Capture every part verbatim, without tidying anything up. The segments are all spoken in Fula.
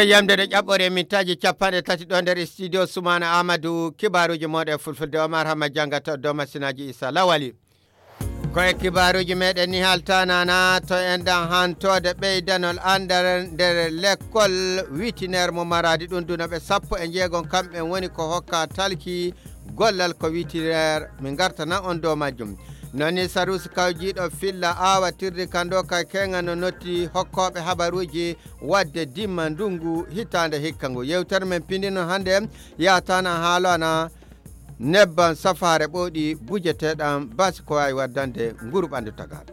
Yamde ɗo ƴaɓɓore mintaaji capanɗe tati ɗo nder studio Sumaana Amadou, kibaaruuji mooɗon e fulfulde, Omar Hamma janngata dow masinaaji Issa Lawali. Ko e kibaaruuji meɗen ni haltanana to enɗan hantoode ɓeydanol anndal nder lekkol witiner mo Maraadi, ɗum duno ɓe sappo e jeegom kamɓe woni ko hokka talki gollal ko witiner, min ngartana on dow majjum. Nani Sarusi kawjiiɗo filla awatirdi kan ɗo ka keŋa no notti hokkooɓe habaruuji wadde dimma ndungu hitaande hikka ngu. Yewtere men pindino hannde yahatana haalana nebban safaare ɓooɗi bujeteɗan basi ko waawi waddande nguru ɓandu tagal.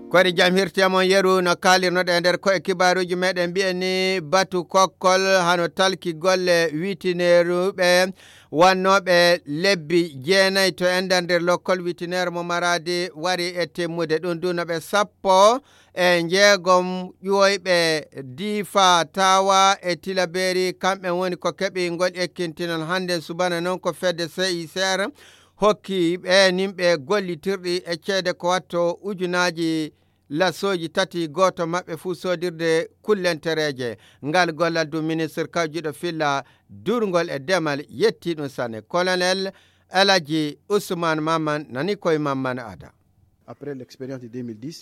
Koɗi jam hirti e mon yeru no kaalirnoɗe e nder ko e kibaaruuji meɗen mbiyen ni batu kokkol hano talki golle witineeruɓe wannooɓe lebbi jeenayi to enɗan nder lokkol witineer mo Maraadi wari e timmude, ɗum duno ɓe sappo e jeegom ƴuwoyɓe Diifa, Tawa e Tilaberi, kamɓe woni ko keɓi ngol ekkintinol hannde subana noon ko fedde C I C R hokki ɓe nimɓe gollitirɗi e ceede ko watto ujunaaji lasooji tati, gooto maɓɓe fuu soodirde kullentereeje. Ngal gollal du ministre kawjiiɗo filla durngol e demal yetti ɗum sanne. Colonel Alaji Usman Mamman nani koye Mamman Ada.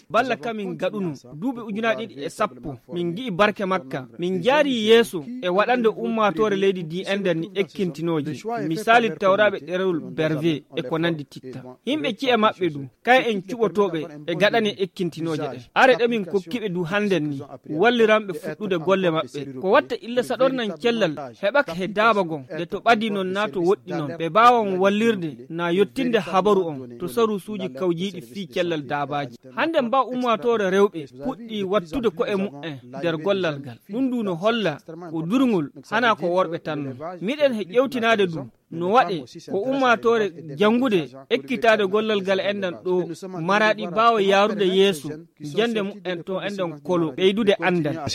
Balla ka min gaɗuno duuɓi ujunaaji ɗiɗi e sappo, min ngi'i barke makka, min njaari yeeso e waɗande ummaatoore leydi ndi enɗan ni ekkintinooje, misali tawraaɓe ɗerewol Berve e ko nanndi titta. Yimɓe ci'e maɓɓe du, kay en cuɓotooɓe e gaɗane ekkintinooje ɗen. Are ɗe min kokkiɓe du hannden ni, walliranɓe fuɗɗude golle maɓɓe. Ko watta illa saɗornan cellal heɓaka he daaba gon, nde to ɓadi non naa to woɗɗi non, ɓe baawan wallirde naa yottinde habaru on to sarusuuji kawjiiɗi fii cellal daabaaji. Hannde mbaa ummaatoore rewɓe puɗɗii wattude ko'e mu'en nder gollal ngal. Ɗum du no holla ko durngol hanaa ko worɓe tan non. Miɗen he ƴewtinaade du no waɗe ko ummaatoore janngude ekkitaade gollal ngal enɗan ɗo Maraadi baawa yaarude yeeso jannde mu'en to enɗan kolo ɓeydude anndal.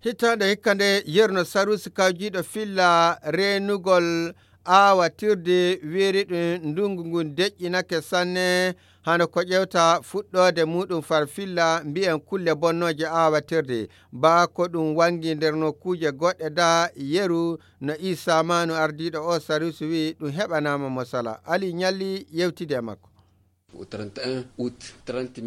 Hitaande hikka nde yerno sarusi kawjiiɗo filla reenugol aawatirde weeri ɗum ndungu ngun deƴƴinake sanne, hano ko ƴewta fuɗɗoode muɗum far filla mbiyen kulle bonnooje aawatirde, baa ko ɗum wangi nder nokkuuje goɗɗe da yeru no Isa Manu ardiiɗo o sarusi wi'i ɗum heɓanaama mo sala. Ali Ñalli yewtidi e makko.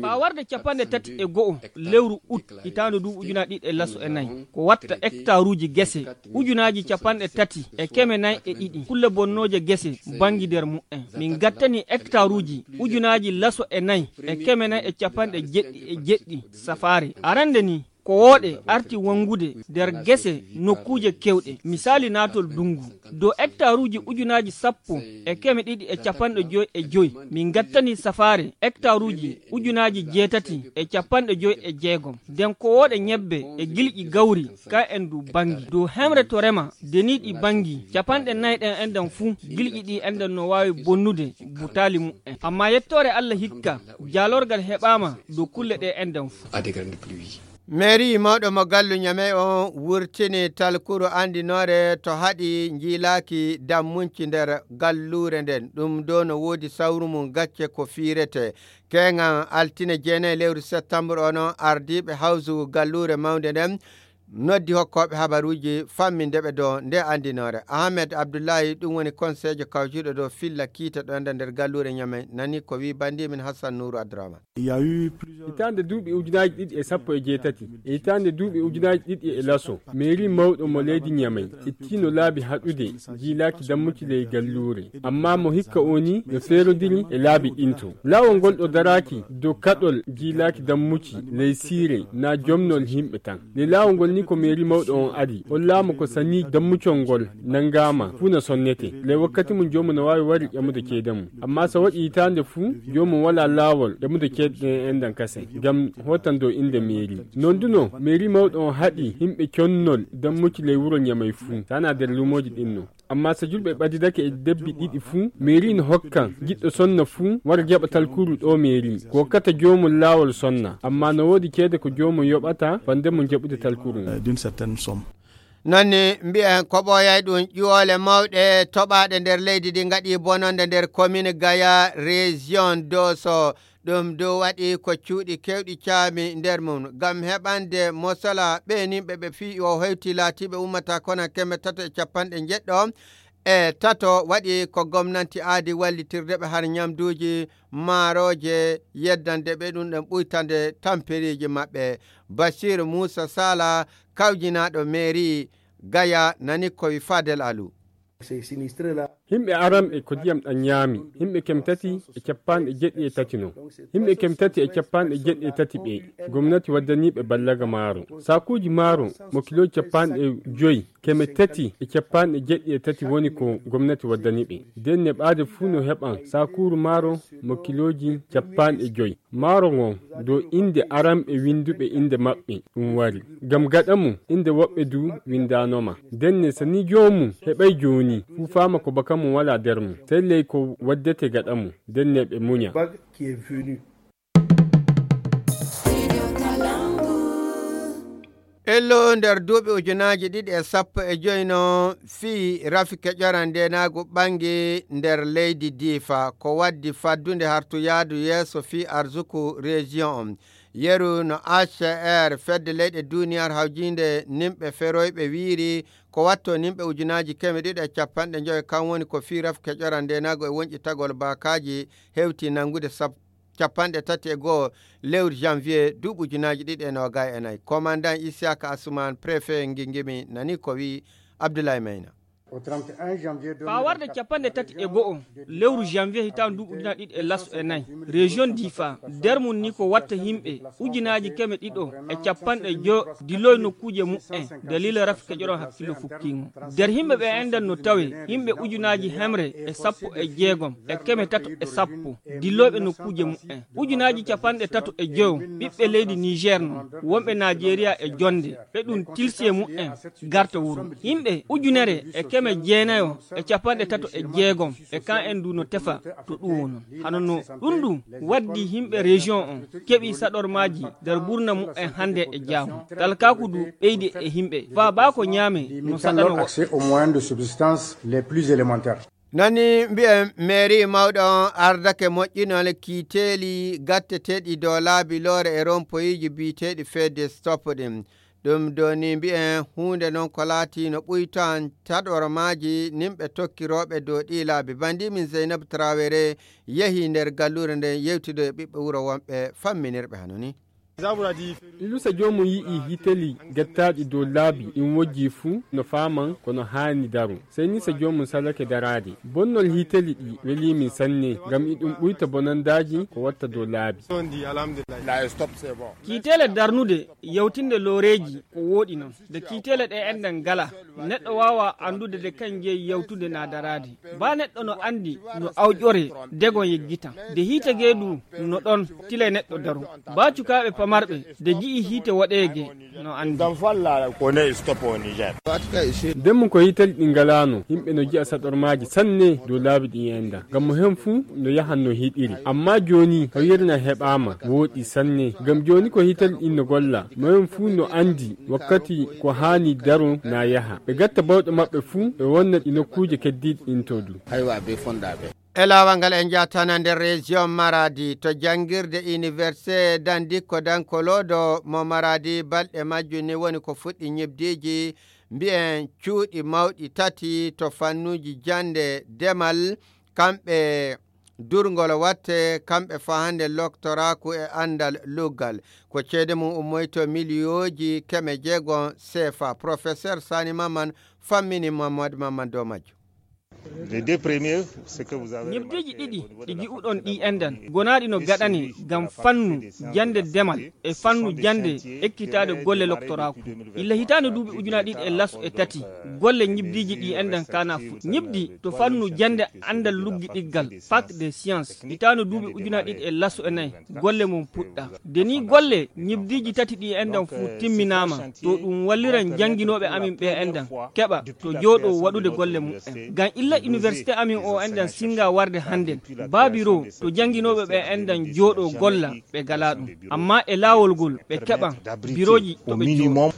Faa warde capanɗe tati e go'o lewru ut hitaande duuɓi ujunaaji ɗiɗi e laso e nayi, ko watta hektaruuji gese ujunaaji capanɗe tati e keme nayi e ɗiɗi kulle bonnooje gese mbangi nder mu'en. Min gattani hektaruuji ujunaaji laso e nayi e keme nayi e capanɗe jeɗɗi e jeɗɗi safaare. Arande ni, ko wooɗe arti wongude nder gese nokkuuje kewɗe, misaali naatol dungu. Dow hektaruuji ujunaaji sappo e keme ɗiɗi e capanɗe joy e joy, min gattani safaare hektaruuji ujunaaji jeetati e capanɗe joy e jeegom. Nden ko wooɗe ñebbe e gilƴi gawri, ka en du bangi. Dow hemre to rema, deniiɗi bangi, capanɗe nayi ɗen enɗan fuu, gilƴi ɗi enɗan no waawi bonnude butaali mu'en. Amma yettoore Alla hikka, jaalorgal heɓaama dow kulle ɗe enɗan fuu. Mairie mawɗo mo gallu Ñamey on wurtini talkuru anndinoore to haɗi njiilaaki dammunci nder galluure nden. Ɗum ɗo no woodi sawru mum gacce ko fiirete. Keeŋan altine jeenayi lewru septembre o non, ardiiɓe hawsu galluure mawnde nden noddi hokkooɓe habaruuji famminde ɓe dow nde anndinoore. Ahmed Abdullahi, ɗum woni konseejo kawjuɗo dow filla kiite ɗo nder, nder galluure Ñamey, nani ko wi banndiimin Hassan Nuuru Abdurahman. Hitaande duuɓi ujunaaji ɗiɗi e sappo e jeetati e hitaande duuɓi ujunaaji ɗiɗi e laso, meeri mawɗo mo leydi Ñamey ittiino laabi haɗude jiilaaki dammuci ley galluure. Amma mo hikka o ni no feerodiri e laabi ɗin to. Laawol ngol ɗo daraaki dow kaɗol jiilaaki dammuci ley siire naa jomnol yimɓe tan. Ley laawol ngol ni ko meeri mawɗo on adi. On laamu ko sanii dammucol ngol nanngaama fuu no sonnete. Ley wakkati mum joomum no waawi wari ƴamude ceede mum. Amma so waɗi hitaande fuu, joomum walaa laawol ƴamude ceede ɗen enɗan kasen, ngam hootan dow innde meeri. Non du no, meeri mawɗo on haɗi yimɓe connol dammuci ley wuro Ñamey fuu, sanaa nder luumooji ɗin no. Amma so julɓe ɓadidake e debbi ɗiɗi fuu, meeri no hokkan giɗɗo sonna fuu wara jaɓa talkuru ɗo meeri, ko hokkata joomum laawol sonna. Amma no woodi ceede ko joomum yoɓata fande mum jaɓude talkuru ngun. Nani mbiyen ko ɓooyay ɗum ƴuwoole mawɗe toɓaaɗe nder leydi ndi ngaɗi bononde nder commune Gaya, région Doso. Ɗum du waɗi ko cuuɗi keewɗi caami nder mum. Ngam heɓande mosala ɓeeninɓe ɓe fii o hewti laatiiɓe ummata kona keme tato e capanɗe njeɗɗo e tato, waɗi ko gomnanti aadi wallitirde ɓe har ñamduuji, maarooje, yeddande ɓe ɗum ɗon ɓuytande tamperiiji maɓɓe. Basiiru Muusa Sala, kawjinaaɗo meeri Gaya, nani ko wi Fadel Alu. Himɓe aran ɓe ko ndiyam ɗan ñaami, himɓe keme tati e capanɗe jeɗɗi e tati non. Himɓe keme tati e capanɗe jeɗɗi e tati ɓe, gomnati waddanii ɓe ballaga maaro. Saakuuji maaro mo kilooji capanɗe joy, keme tati e capanɗe jeɗɗi e tati woni ko gomnati waddanii ɓe. Nden neɓaade fuu no heɓan saakuuru maaro mo kilooji capanɗe joy. Maaro ngon dow innde aranɓe winnduɓe innde maɓɓe ɗum wari. Ngam gaɗa mum, innde woɓɓe du winndaano ma. Ndenne, so ni joomum heɓay jooni, fuu faama ko baka mum walaa nder mum. Sey ley ko waddete gaɗa mum, ndenne ɓe munya. Ello nder duuɓi ujunaaji ɗiɗi e sappo e joy no fii rafi keƴoran ndeenaagu ɓanngi nder leydi Diifa, ko waddi faddunde hartu yaadu yeeso fii arsuku rejiyon on. Yeru no H C R, fedde leyɗe duuniyaaru hawjiinde nimɓe feroyɓe wiiri, ko watto nimɓe ujunaaji keme ɗiɗi e capanɗe njoyo kan woni ko fii rafi keƴoran ndeenaagu e wonƴitagol baakaaji hewti nanngude sab- capanɗe tati e go'o lewru janvier duuɓi ujunaaji ɗiɗi e noogay e nayi. Komandan Isiyaka Asuman, préfet Ngingimi, nani ko wi'i Abdoulaye Mayna. Faa warde capanɗe tati e go'o lewru janvier hitaande duuɓi ujunaaji ɗiɗi e laso e nayi, région Difa, nder mum ni ko watta yimɓe ujunaaji keme ɗiɗo e capanɗe joyo diloy nokkuuje muɓɓen dalila rafi keƴoron hakkillo fukkiingo. Nder yimɓe ɓe enɗan no tawe yimɓe ujunaaji hemre e sappo e jeegom e keme tato e sappo dilloyɓe nokkuuje muɓɓen. Ujunaaji capanɗe tato e joyo ɓiɓɓe leydi Niger non, wonɓe Najeriya e jonde, ɓe ɗum tilsi e muɓɓen garta wuro. Yimɓe ujunere e keme jeenayo e capanɗe tato e jeegom e kan en du no tefa to ɗum wonon. Hano no ɗum ɗum waddi yimɓe région on keɓi saɗormaaji nder ɓurna muɓɓen hannde e jaamu. Talkaaku du ɓeydi e yimɓe. Faa baa ko ñaame no saɗano woɓɓe. Accès aux moyens de subsistance les plus élémentaires. Nani mbi'en, meeri mawɗo on ardake moƴƴinol kiiteeli gatteteeɗi dow laabi loore e rompoyiiji biyeteeɗi fedde stop ɗin. Ɗum doni mbi'en huunde non ko laati no ɓuytan taɗormaaji nimɓe tokkirooɓe dow ɗii laabi. Banndi min Zeynab Traoré yehi nder galluure nden yewtido e ɓiɓɓe wuro wonɓe famminirɓe hano ni. Lusa joomum yi'i hiteli gettaaɗi dow laabi ɗin wojji fuu no faaman ko no haani daro. Sey ni sa joomum salake daraade. Bonnol hiteli ɗi welii min sanne, ngam iɗum ɓuyta bonandaaji ko watta dow laabi. Kiiteele darnude yawtinde looreeji ko wooɗi non. Nde kiiteele ɗe enɗan ngala, neɗɗo waawa anndude nde kañ jeyi yawtude naa daraade. Baa neɗɗo no anndi no awƴoree, degon yeggitan. Nde hiite gee du no ɗon, tilay neɗɗo daro. Baa cukaaɓe pamarɓe, nde ji'i hiite woɗeege, no anndi. Ndemmu ko hitali ɗi ngalaano, yimɓe no ji'a saɗormaaji sanne dow laabi ɗi enɗan. Ngam mo hen fuu no yahan no hiɗiri. Amma jooni, hoyirna heɓaama, wooɗi sanne. Ngam jooni ko hitali ɗin no golla, mo hen fuu no anndi wakkati ko haani daro naa yaha. Ɓe gatta bawɗe maɓɓe fuu, ɓe wonna ɗi nokkuuje keddiiɗi ɗin to du. E laawol ngal en njaatana nder région Maradi to janngirde Université Dandikko Dankolodo mo Maradi, balɗe majjum ni woni ko fuɗɗi ñibdiiji, mbi'en cuuɗi mawɗi tati to fannuuji jannde, demal, kamɓe durngol watte, kamɓe fahande loktoraaku e anndal luggal. Ko ceede mum ummoyto miliyooji keme jeegom seefa. Professeur Sani Maman fammini Mamadou Maman dow majjum. Ñibdiiji ɗiɗi ɗi ji'uɗon ɗi enɗan gonaaɗi no gaɗane ngam fannu jannde demal e fannu jannde ekkitaade golle loktoraaku. Illa hitaande duuɓi ujunaaji ɗiɗi e laso e tati, golle ñibdiiji ɗi enɗan kaana fuɗɗi. Ñibdi to fannu jannde anndal luggiɗiggal, fac de science, hitaande duuɓi ujunaaji ɗiɗi e laso e nayi, golle mum puɗɗa. Nde nii golle ñibdiiji tati ɗi enɗan fuu timminaama, to ɗum walliran jannginooɓe amin ɓe enɗan keɓa to jooɗoo waɗude golle muɓɓen. Ngam illa université amin o enɗan sinnga warde hannden, baa biro to jannginooɓe ɓe enɗan jooɗoo golla ɓe galaa ɗum. Amma e laawol ngol ɓe keɓan birooji to ɓe jooɗoo.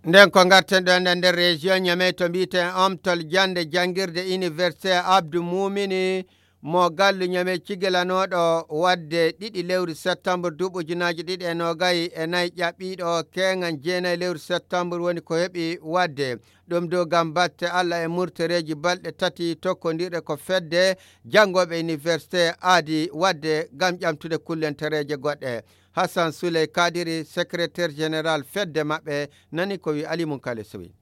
Nden ko ngarten ɗo enen nder région Niamey to mbiyeten Omtol jannde janngirde Université Abdou Moumini mo gallu Niamey cigilanooɗo waɗde ɗiɗi lewru septembre duuɓi ujunaaji ɗiɗi e noogay e nayi ƴaɓɓiiɗo keeŋan jeenayi lewru septembre woni ko heɓi waɗde. Ɗum dow ngam batte Allah e murtoreeji balɗe tati tokkondirɗe ko fedde janngooɓe université aadi waɗde ngam ƴamtude kullentereeje goɗɗe. Hassan Souley Kadiri, secrétaire général fedde maɓɓe, nani ko wi Ali Munkale Sowi.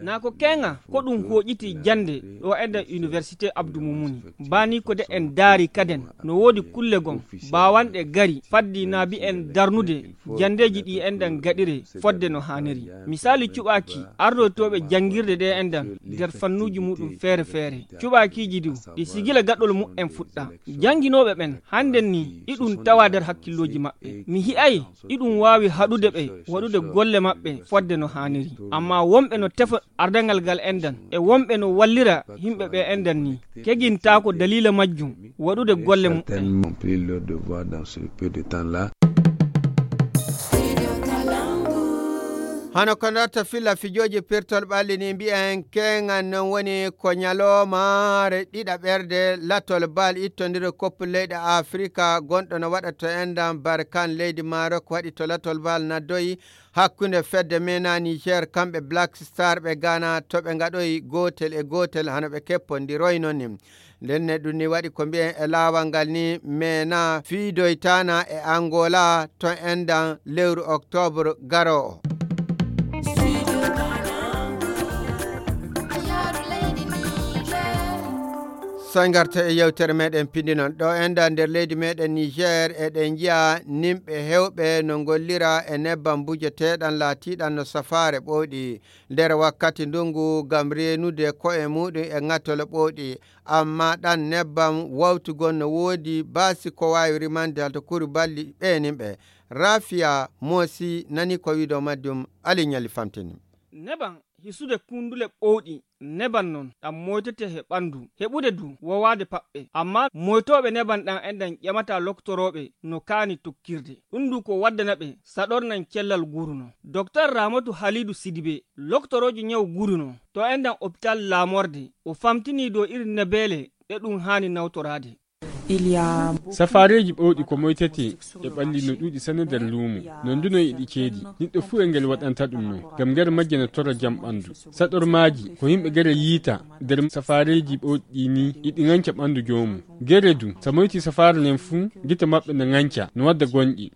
Na ko keeŋa ko ɗum hooƴiti jannde ɗo e nder université Abdou Moumouni. Bani ko de en daari kaden no woodi kulle gom baawanɗe gari faddi na mbi'en darnude janndeeji ɗi enɗan gaɗire fodde no haaniri. Misaali cuɓaaki ardoytooɓe janngirde ɗe enɗan nder fannuuji muɗum feere feere. Cuɓaakiiji du ɗi sigila gaɗol mu'en fuɗɗa. Jannginooɓe ɓen hannden ni iɗum tawa nder hakkillooji maɓɓe. Mi hi'ay iɗum waawi haɗude ɓe waɗude golle maɓɓe fodde no haaniri. Ammaa wonɓe no tefa ardangal ngal enɗan e wonɓe no wallira yimɓe ɓe enɗan ni kegintaako daliila majjum waɗude golle muɓɓen. Hano ko ndarta filla fijooji pirtol ɓalli ni mbi'en keeŋan non woni ko ñalomaare ɗiɗaɓerde latol bal ittondiro koppu leyɗe Afrika gonɗo no waɗa to enɗan Barkan leydi Marok waɗi to latol bal naddoyi hakkunde fedde mena Niger kamɓe Black Star ɓe Ghana to ɓe ngaɗoyi gootel e gootel hano ɓe keppondiroyno ni. Ndenne ɗum ni waɗi ko mbi'en e laawal ngal ni mena fiidoytana e Angola to enɗan lewru octobre garoowo. Soy ngarta e yewtere meɗen pindinon ɗo enɗan nder leydi meɗen Niger eɗen njiya nimɓe hewɓe no ngollira e nebban bujeteɗan laatiɗan no safaare ɓowɗi nder wakkati ndungu ngam reenude ko'e muɗum e ŋatole ɓowɗi. Amma ɗan nebbam wawtugol no woodi baasi ko waawi rimande halto kuru balli ɓeeninɓe. Rafiya moosi nani ko wiido majjum. Ali ñali famtini. Neban hisude kundule ɓowɗi neban non ɗam moytete he ɓandu heɓude du wowaade paɓɓe. Amma moytooɓe neban ɗan enɗan ƴamata loktorooɓe no kaani tokkirde. Ɗum du ko waddana ɓe saɗornan cellal guruno. Doktor Ramatu Halidu Sidibe loktoroojo ñaw guruno to enɗan opital laamorde o famtinii dow irin nebeele ɗe ɗum haani nawtoraade. Safaareeji ɓowɗi ko moytetee e ɓalli no ɗuuɗi sanne nder luumo. Non du no e ɗi ceedi. Niɗɗo fuu e ngel waɗanta ɗum non. Ngam nder majje no torra jam ɓanndu. Saɗormaaji ko yimɓe gere yiita nder safaareeji ɓowɗi ɗii nii e ɗi ŋanca ɓanndu joomum. Gere du, so moytii safaare nden fuu, gite maɓɓe no ŋanca, no wadda gonɗi.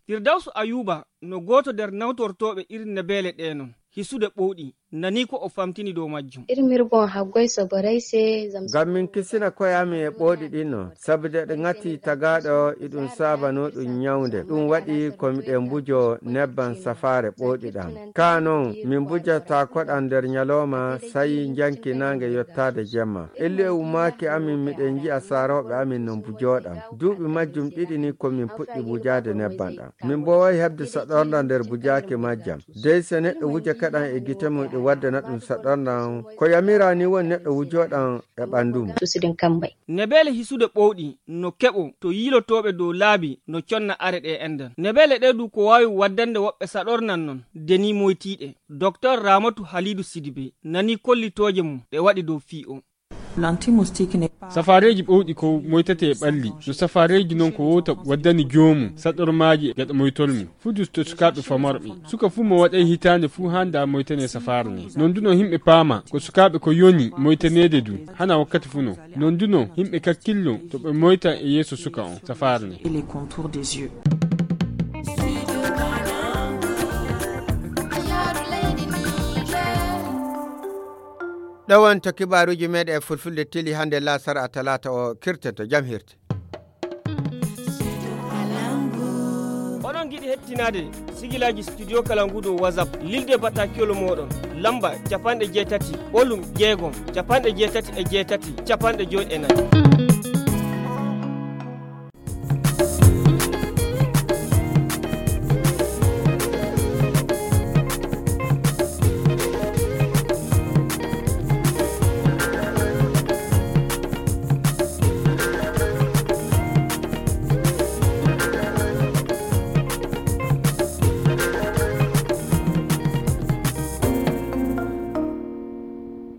Firdawsu Ayuuba no gooto nder nawtortooɓe irin nebeele ɗee non. Hisude ɓowɗi nani ko o famtini dow majjum. Irmir bon haggoy soboray se zamzam. Ngam min kisina koye amin e ɓooɗi ɗin non, sabu de ɗe ŋati tagaaɗo iɗum saabano ɗum ñawnde. Ɗum waɗi ko miɗen mbujo nebban safaare ɓooɗi ɗan. Kaa non, min mbujata koɗan nder ñalooma, sayi njanki naange yottaade jemma. Illu e ummaaki amin miɗen nji'a saarooɓe amin no mbujoɗan. Duuɓi majjum ɗiɗi ni ko min puɗɗi mbujaade nebban ɗan. Min mbooway heɓde saɗornda nder bujaaki majjam. Dey so neɗɗo wuja kaɗan e gite mum ɗi waddana ɗum saɗornda on, ko yamiraa ni woni neɗɗo wujoɗan e ɓanndu mum. Tusuɗen kammbay. Nebeele hisude ɓowɗi no keɓo to yiilotooɓe dow laabi no conna are ɗe enɗan. Nebeele ɗe du ko waawi waddande woɓɓe saɗornan non deni moytiiɗe. Doktor Ramatu Halidu Sidibe nani kollitooje mum ɗe waɗi dow fii o. Safaareeji ɓowɗi ko moytetee e ɓalli, no safaareeji non ko wowta waddani joomum saɗormaaji gaɗa moytol mum, fuu du to sukaaɓe famarɓe. Suka fuu mo waɗay hitaande fuu haandaa moytanee safaare nden. Non du non himɓe paama ko sukaaɓe ko yoni moytaneede du, hanaa wakkati fuu non. Non du non himɓe kakkillo to ɓe moyta e yeeso suka on safaare nden. Ɗo wonto kibaaruuji meeɗen e fulfulde teli hannde laasara a talaata o kirten to jam hirte. Oɗon ngiɗi hettinaade sigilaaji studio kala ngu dow WhatsApp lilde batakiyol mooɗon lamba capanɗe jeetati ɓolum jeegom capanɗe jeetati e jeetati capanɗe joy e nayi.